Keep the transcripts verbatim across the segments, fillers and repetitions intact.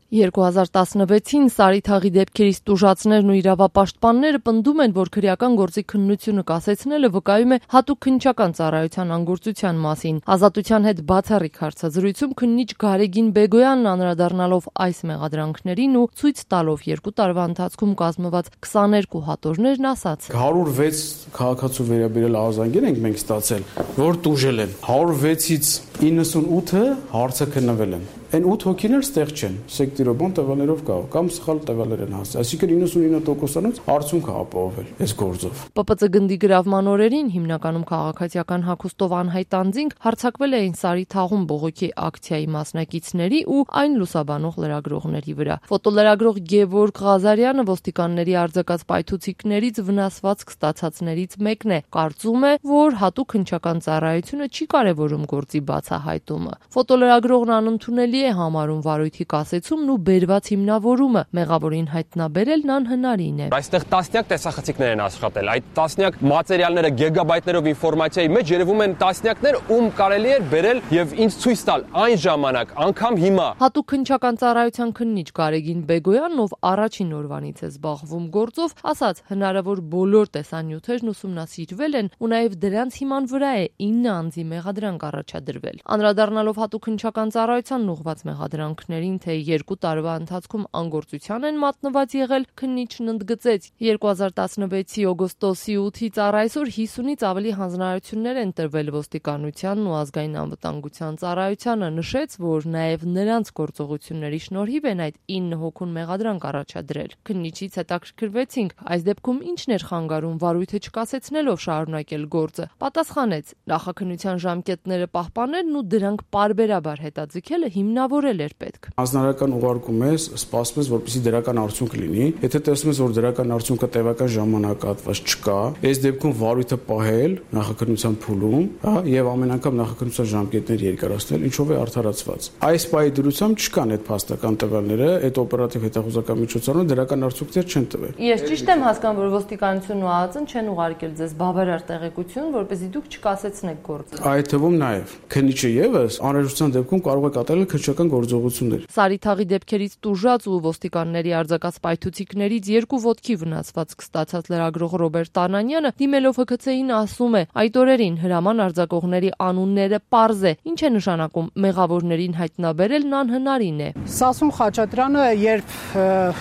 երկու հազար տասնվեցին Սարիթաղի դեպքերից տուժածներն ու իրավապաշտպանները պնդում են, որ քրեական գործի քննությունը կասեցնելը վկայում է հատուկ քննչական ծառայության անգործության մասին։ Ազատության հետ բացառիկ հարցազրույցում քննիչ Գարեգին Բեգոյանն անդրադառնալով այս մեղադրանքներին ու ցույց տալով երկու տարվա ընթացքում կազմված քսաներկու հատորներն ասաց. հարյուր վեց քաղաքացու վերաբերյալ արձագանք ենք մենք ստացել, որ տուժել են։ հարյուր վեցից իննսունութը հարցը քննվել են։ Այն ութ հոգիներ ստեղ չեն, սեկտիրոբան տվյալներով կա, կամ սխալ տվյալներ են հասել։ Այսինքն իննսունինը տոկոսանոց արդյունք է ապահովել այս գործով։ Պ Պ Ծ գնդի գրավման օրերին հիմնականում քաղաքացիական հագուստով անհայտ անձինք հարձակվել էին Սարիթաղում բողոքի ակցիայի մասնակիցների ու այն լուսաբանող լրագրողների վրա։ Ֆոտոլրագրող Գևորգ Ղազարյանը ոստիկանների արձակած պայթուցիկներից վնասվածք ստացածներից մեկն է։ Կարծում է, որ հատուկ քննչական ծառայությունը չի կարևորում գործի բացահայտումը։ Ֆոտոլրագրողն անընդունելի է համարում վարույթի կասեցումն ու բերված հիմնավորումը, մեղավորին հայտնաբերելն անհնարին է։ Այստեղ տասնյակ տեսախցիկներ են աշխատել, այդ տասնյակ մատերիալները գիգաբայթներով ինֆորմացիայի մեջ երևում են տասնյակներ, ում կարելի էր բերել եւ ինձ ցույց տալ այն ժամանակ, անգամ հիմա։ Հատուկ քննչական ծառայության քննիչ Գարեգին Բեգոյանն, ով առաջին օրվանից է զբաղվում գործով, ասաց, հնարավոր բոլոր տեսանյութերն ուսումնասիրվել են ու նաեւ դրանց հիման վրա է ինը անձի մեղադրանք առաջադրվել։ Անդրադառնալով հատուկ քննչական ծառայությանն ուղղված մեղադրանքներին, թե երկու տարվա ընթացքում անգործության են մատնված եղել, քննիչն ընդգծեց. երկու հազար տասնվեցի օգոստոսի ութից առ այսօր հիսունից ավելի հանձնարարություններ են տրվել ոստիկանությանն ու ազգային անվտանգության ծառայությանը, նշեց, որ նաև նրանց գործողությունների շնորհիվ են այդ ինը հոգուն մեղադրանք առաջադրել։ Քննիչից հետաքրքրվեցինք, այս դեպքում ինչն էր խանգարում վարույթը չկասեցնելով շարունակել գործը։ Պատասխանեց. նախաքննության ժամկետները պահպանելն ու դրանք պարբերաբար հետաձգելը հիմնավորել էր պետք։ Հանձնարարական ուղարկում ես, սպասում ես, որպեսզի դրական արդյունք լինի։ Եթե տեսնում ես, որ դրական արդյունքը տևական ժամանակահատված չկա, այս դեպքում վարույթը պահել նախաքննության փուլում, հա, եւ ամեն անգամ նախաքննության ժամկետներ երկարացնել, ինչով է արդարացված։ Այս պահի դրությամբ չկան այդ փաստական տվյալները, այդ օպերատիվ հետախուզական միջոցառումը դրական արդյունքներ չեն տվել։ Ես ճիշտ եմ հասկանում, որ ոստիկանությունն ու ԱԱԾ-ն չեն ուղարկել ձեզ բավարար տեղեկություն, որպեսզի դուք չկասեցնեք գործը։ Այդ թվում նաեւ քննիչը եւս անհրաժեշտության դեպքում կարող է կատարել քննչական գործողություններ։ Սարիթաղի դեպքերից տուժած ու ոստիկանների արձակած պայթուցիկներից երկու ոտքի վնասվածք ստացած լրագրող Ռոբերտ Անանյանը դիմելով Հ K C-ին ասում է. այդ օրերին հրաման արձակողների անունները պարզ է, ինչ է նշանակում մեղավորներին հայտնաբերելն անհնարին է։ Սասուն Խաչատրյանը երբ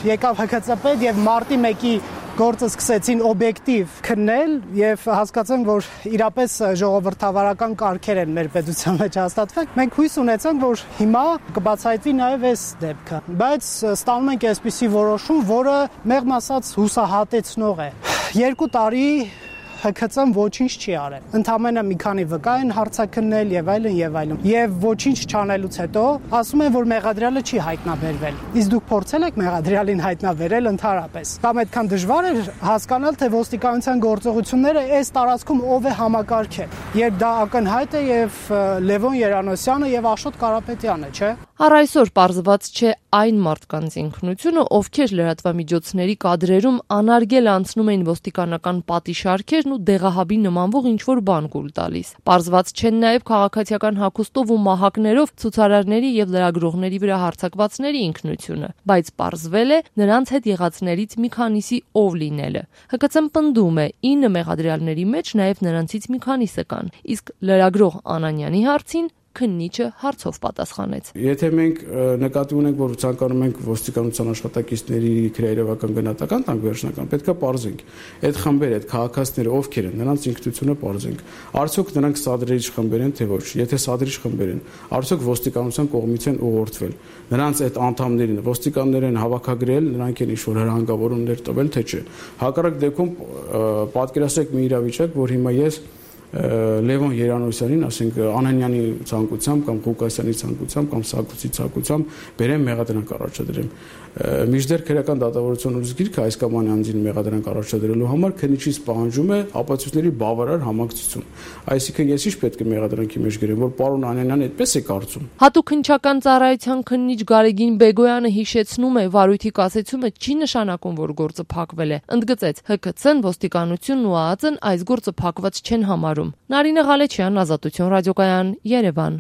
եկավ Հ K C պետ եւ մարտի մեկի գործը սկսեցին օբյեկտիվ քննել եւ հասկացանք, որ իրապես ժողովրդավարական կարգեր են մեր պետության մեջ հաստատվել։ Մենք հույս ունեցանք, որ հիմա կբացահայտվի նաեւ այս դեպքը, բայց ստանում ենք այսպիսի որոշում, որը մեղմ ասած հուսահատեցնող է։ Երկու տարի Հ K C-ն ոչինչ չի արել։ Ընդամենը մի քանի վկա են հարցաքննել եւ այլն եւ այլն։ Եվ ոչինչ չանելուց հետո ասում են, որ մեղադրյալը չի հայտնաբերվել։ Իսկ դուք փորձել եք մեղադրյալին հայտնաբերել ընդհանրապես։ Կամ այդքան դժվար է հասկանալ, թե ոստիկանության գործողությունները այս տարածքում ով է համակարգել։ Երբ դա ակնհայտ է եւ Լևոն Երանոսյանը եւ Աշոտ Կարապետյանը, չէ՞։ Առ այսօր պարզված չէ այն մարդկանց ինքնությունը, ովքեր լրատվամիջոցների կադրերում անարգել անցնում էին ոստիկանական պատիշարքերն ու դեղահաբի նմանվող ինչ-որ բան կուլ տալիս։ Պարզված չեն նաև քաղաքացիական հագուստով ու մահակներով ցուցարարների եւ լրագրողների վրա հարձակվածների ինքնությունը, բայց պարզվել է նրանց հետ եղածներից մի քանիսի ով լինելը։ Հ K C-ն պնդում է ինը մեղադրյալների մեջ նաև նրանցից մի քանիսը կան, իսկ լրագրող Անանյանի հարցին քննիչը հարցով պատասխանեց։ Եթե մենք նկատի ունենք, որ ցանկանում ենք ոստիկանության աշխատակիցների քրեական գնահատական տանք վերջնական, պետք է պարզենք այդ խմբերը, այդ քաղաքացիները ովքեր են, նրանց ինքնությունը պարզենք։ Արդյոք նրանք սադրիչ խմբեր են, թե ոչ։ Եթե սադրիչ խմբեր են, արդյոք ոստիկանության կողմից են ուղղորդվել։ Նրանց այդ անդամներին ոստիկաններ են հավաքագրել, նրանք են ինչ-որ հրահանգավորումներ տվել, թե չէ։ Հակառակ դեպքում պատկերացրեք մի իրավիճակ, որ հիմա ես Լևոն Երանոսյանին, ասենք Անանյանի ցանկությամբ կամ Ղուկասյանի ցանկությամբ կամ Սարգսի ցանկությամբ բերեմ մեղադրանք առաջադրեմ։ Միջդեռ քրեական դատավարության ուսուցիչ գիրքը այս կամ այն անձին մեղադրանք առաջադրելու համար քննիչից պահանջում է ապացույցների բավարար համակցություն։ Այսինքն ես ինչ պետք է մեղադրանքի մեջ գրեմ, որ պարոն Անանյանն այդպես է կարծում։ Հատուկ քննչական ծառայության քննիչ Գարեգին Բեգոյանը հիշեցնում է, վարույթի կասեցումը չի նշանակում, որ գործը փակվել է։ Ընդգծեց, Հ K C-ն, ոստիկանությունն ու ԱԱԾ-ն այս գործը փակված չեն համարում։ Նարինե Ղալեչյան, Ազատություն ռադիոկայան, Երևան։